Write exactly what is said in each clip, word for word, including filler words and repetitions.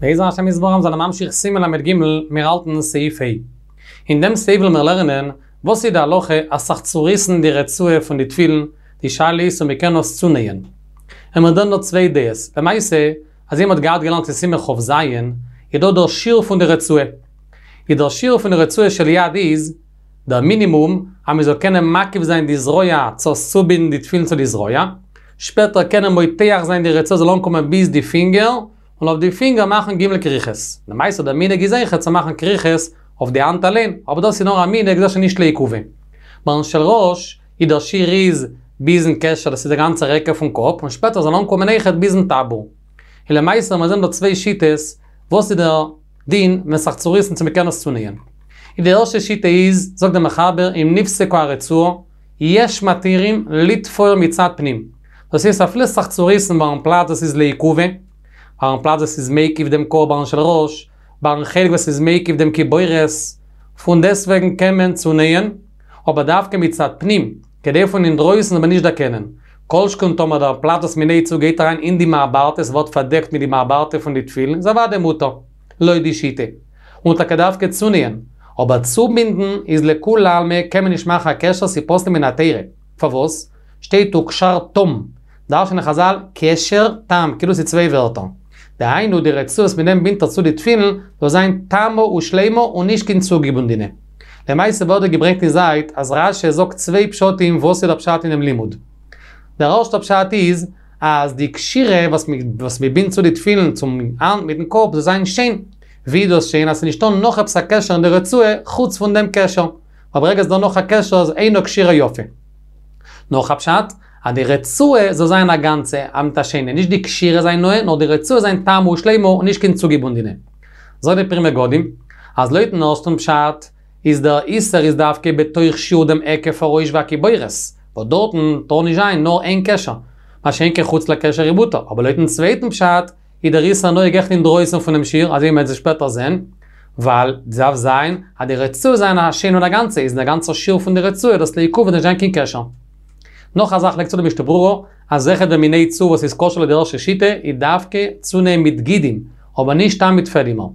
בעזר השם יתברך זענען ממשיך סימן ל"ג, מיר האלטן סעיף ה'. אין דעם סעיף וועלן מיר לערנען וואס איז די הלכה אז זיך צוריסן די רצועה פון די תפילין, די שאלה איז צו מ'קען עס צונייען. האבן מיר דא נאר צוויי דעות, למעשה אזוי מ'האט געהאט געלערנט אין סימן כ"ז, איז דא דער שיעור פון די רצועה. איז דער שיעור פון די רצועה של יד איז, דער מינימום אז מ'זאל קענען מקיף זיין די זרוע צו צובינדן די תפילין צו די זרוע, שפעטער קענען מותח זיין די רצועה זאל אנקומען ביז די פינגער, און אויף די פינגער מאכן ג' כריכות. למעשה דער מנהג איז אויכעט צו מאכן כריכות אויף די האנט אליין, אבער דאס איז נאר א מנהג דאס איז נישט לעיכובא. ביים של ראש איז דער שיעור איז ביזן קשר דאס איז דער גאנצער היקף פון קאפ, און שפעטער זאל אנקומען אויכעט ביזן טבור. און למעשה מיר זעען דא צוויי שיטות וואס איז דער דין ווען ס'זיך צוריסן צו מ'קען עס צונייען. און די ערשטע שיטה איז, זאגט דער מחבר, אם נפסקה הרצועה, יש מתירים לתפור מצד פנים. דאס הייסט אפילו ס'זיך צוריסן ביים פלאץ וואס איז לעיכובא, ביים פלאץ וואס איז מקיף דעם קאפ ביים של ראש, ביים חלק וואס איז מקיף דעם קיבורת, פון דעסטוועגן קען מען צונייען, אבער דווקא מצד פנים, כדי פון אינדרויסן זאל מען נישט דערקענען. כל שכן טאמער דער פלאץ וואס מ'נייט צו גייט אריין אין די מעברתא, ס'ווערט פארדעקט מיט די מעברתא פון די תפילין, איז אוודאי מותר, לויט די שיטה. און טאקע דווקא צונייען. אבער צובינדן איז לכולי עלמא קען מען נישט מאכן א קשר ס'איז פסול מן התורה. פארוואס? שטייט וקשרתם. דרש'נען חזל קשר תם, כאילו ס'איז צוויי ווערטער. דהיינו די רצועה וואס מיט דעם בינדט ער צו די תפילין זאל זיין תמה ושלימה און נישט קיין צוגעבונדענע. למעשה ווערט דא געברענגט אין זייט אז רש"י זאגט צוויי פשטים וואס איז דער פשט אינעם לימוד. דער ערשטער פשט איז אז די קשירה וואס וואס מ'בינדט צו די תפילין צום האנט מיטן קאפ זאל זיין שיין. ווי איז דאס שיין אז ס'איז נישטא נאך עפעס א קשר אין די רצועה חוץ פון דעם קשר. ווייל ברגע ס'איז דא נאך א קשר איז אינה קשירה יפה. נאך א פשט, אז די רצועה זאל זיין א גאנצע, א מיט א שיינע, נישט די קשירה זיין נאה, נאר די רצועה זיין תמה ושלימה און נישט קיין צוגעבונדענע. זאגט די פרי מגדים, אז לויטן ערשטן פשט, איז דער איסור איז דווקא בתוך שיעור דעם היקף הראש והקיבורת, וואס דארטן טאר נישט זיין נאר איין קשר, מה שאין כן חוץ לקשר איז מותר, אבער לויטן צווייטן פשט, איז דער איסור נוהג אויכעט אינדרויסן פונעם שיעור, אזוי ווי מ'וועט שפעטער זען, ווייל ס'דארף זיין אז די רצועה זיין א שיין און א גאנצע, איז אין דער גאנצער שיעור פון די רצועה דאס לעיכובא נישט זיין קיין קשר. נאך א זאך לייגט צו די משנה ברורה, אז אויכעט ווען מ'נייט צו וואס איז כשר לויט די ערשטע שיטה, איז דווקא צונייען מיט גידים, אבער נישט סתם מיט פעדימער.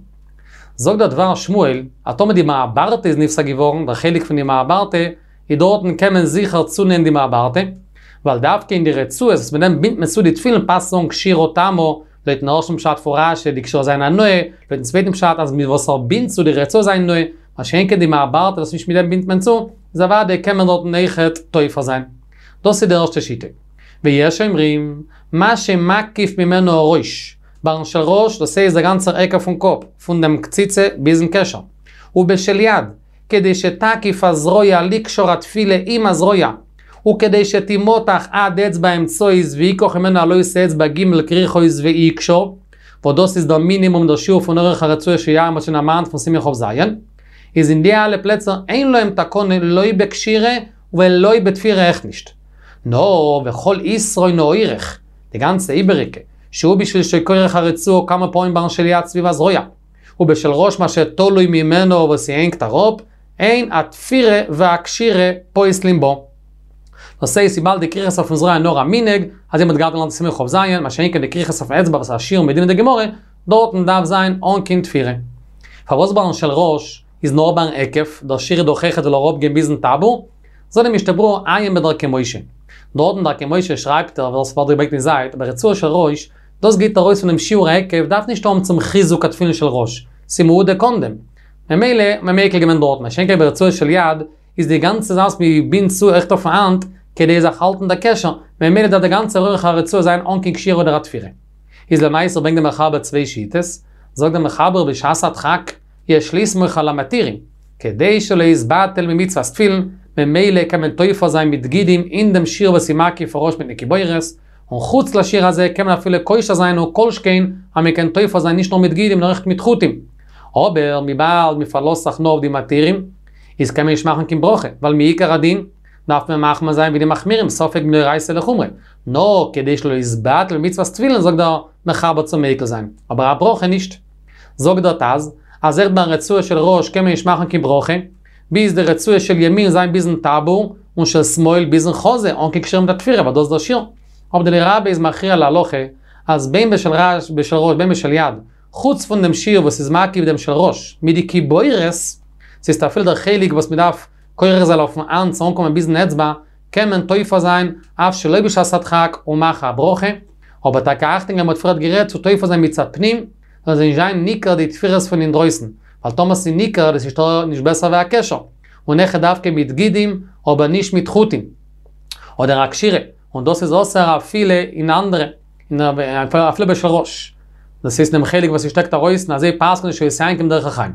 זאגט דער דבר שמואל, אז טאמער די מעברתא איז נפסק געווארן, דער חלק פון די מעברתא, איז דארטן קען מען זיכער צונייען די מעברתא, ווייל דווקא אין די רצועות וואס מיט דעם בינדט מען צו די תפילין פאסט צו זאגן קשירה תמה, לויטן ערשטן פשט פון רש"י די קשירה זיין א נאה, לויטן צווייטן פשט אז מיט וואס ער בינדט צו די רצועה זיין נאה, מה שאין כן די מעברתא וואס נישט מיט דעם בינדט מען צו, איז אוודאי קען מען דארטן אויכעט תופר זיין. דאס איז די ערשטע שיטה. ויש אומרים, מה שמקיף ממנו הראש, ביים של ראש, דאס הייסט דער גאנצער היקף פון קאפ, פון דעם קציצה ביזן קשר. ובשל יד, כדי שתקיף הזרוע לקשור התפילה עם הזרוע, וכדי שתימתח עד אצבע אמצעית ויקח ממנו הלא אצבע ג' כריכות ויקשור, וואס דאס איז דער מינימום דער שיעור פון אורך הרצועה של יד מ'האט שוין דערמאנט פון סימן כ"ז, איז אין די אלע פלעצער אין להם תקנה לא בקשירה ולא בתפירה אויך נישט. נאר וכל יתרון האורך, די גאנצע איבעריגע, שהוא בשביל שכורך הרצועה כמה פעמים ביים של יד סביב הזרוע, ובשל ראש מה שתלוי ממנו וואס ס'הענגט אראפ, אין התפירה והקשירה פוסלים בו. דאס הייסט וויבאלד די כריכות אויפן זרוע נאר א מנהג, אזוי מ'האט געהאט געלערנט סימן כ"ז, מה שאין כן די כריכות אויפן אצבע וואס איז א שיעור מדינא דגמרא, דארטן דארף זיין אן קיין תפירה. פארוואס ביים של ראש איז נאר ביים היקף, דער שיעור איז דאך אויכעט זאל אראפגיין ביזן טבור? זאגט די משנה ברורה עיין בדרכי משה. דארט אין דרכי משה שרייבט ער, וואס ווערט געברענגט אין זייט, ברצועה של ראש, דאס גייט ארויס פונעם שיעור ההיקף דארף נישט האבן צום חיזוק התפילין של ראש, ס'איז מהודק אן דעם. ממילא מען מיקל געווען דארט, מה שאין כן ברצועה של יד, איז די גאנצע זאך וואס מען בינדט צו אויכעט אויפן האנט, כדי זיך האלטן דער קשר, ממילא דארף די גאנצע אורך הרצועה זיין אן קיין קשירה אדער א תפירה. איז למעשה ברענגט דער מחבר צוויי שיטות, זאגט דער מחבר בשעת הדחק, יש לסמוך על המתירים, כדי שלא יתבטל ממצוות תפילין, ממילא קען מען תופר זיין מיט גידים אין דעם שיעור וואס איז מקיף הראש מיטן קיבורת, און חוץ לשיעור הזה קען מען אפילו קושר זיין און כל שכן אז מען קען תופר זיין נישט נאר מיט גידים נאר אויכעט מיט חוטים. אבער וויבאלד מען פארלאזט זיך נאר אויף די מתירים, איז קען מען נישט מאכן קיין ברכה, ווייל מעיקר הדין דארף מען מחמיר זיין ווי די מחמירים ספק מדאורייתא לחומרא, נאר כדי שלא יתבטל מצוות תפילין זאגט דער מחבר צו מיקל זיין, אבער א ברכה נישט. זאגט דער ט"ז, אז אויכעט ביי רצועה של ראש קען מען נישט מאכן קיין ברכה, ביז די רצועה של ימין זיין ביזן טבור, און של שמאל ביזן חזה, אן קיין קשירה מיט א תפירה, ווייל דאס איז דער שיעור. אבער דער רבי איז מכריע להלכה, אז בין בשל ראש, בשל ראש בין בשל יד, חוץ פון דעם שיעור וואס איז מקיף דעם של ראש, מיט די קיבורת, ס'איז אפילו דער חלק וואס מ'דארף כורך זיין אויפן האנט צו אנקומען ביזן אצבע, קען מען תופר זיין אף שלא בשעת הדחק און מאכן א ברכה, אבער טאקע אכטונג געבן מ'האט פריערט גערעדט צו תופר זיין מצד פנים, זאל נישט זיין ניכר די תפירות פון אינדרויסן, ווייל טאמער ס'איז ניכר דאס איז נישט בעסער ווי א קשר, און אויכעט דווקא מיט גידים אבער נישט מיט חוטים. אדער א קשירה, און דאס איז אסור אפילו אין אנדערע, אפילו בשל ראש. דאס הייסט דעם חלק וואס ס'שטעקט ארויס און אזוי פסק'נט די שבות יעקב דרך החיים.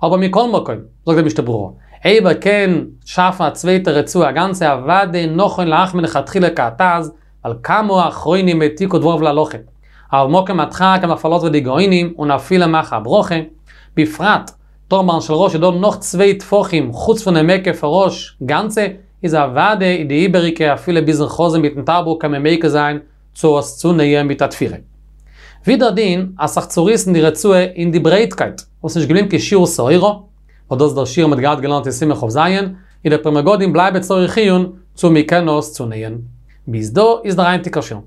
אבער מכל מקום, זאגט דער משנה ברורה, אויב ער קען שאפן א צווייטע רצועה א גאנצע אוודאי נכון להחמיר לכתחילה כהט"ז, ווייל כמה אחרונים העתיקו דבריו להלכה. אבל במקום הדחק קען מען פארלאזן אויף די גאונים און אפילו מאכן א ברכה, בפרט טאמער אין של ראש איז דא נאך צוויי טפחים חוץ פונעם היקף הראש גאנצע, איז אוודאי די איבעריגע אפילו ביזן חזה מיטן טבור קען מען מיקל זיין צו עס צונייען מיט א תפירה. ווידער דין אז זיך צוריסן די רצועה אין די ברייטקייט, וואס נישט געבליבן קיין שיעור שעורה, וואס דאס איז דער שיעור מ'האט געהאט געלערנט אין סימן כ"ז, איז דער פרי מגדים בלייבט צריך עיון צו מ'קען עס צונייען. ביז דא איז דער היינטיגער שיעור.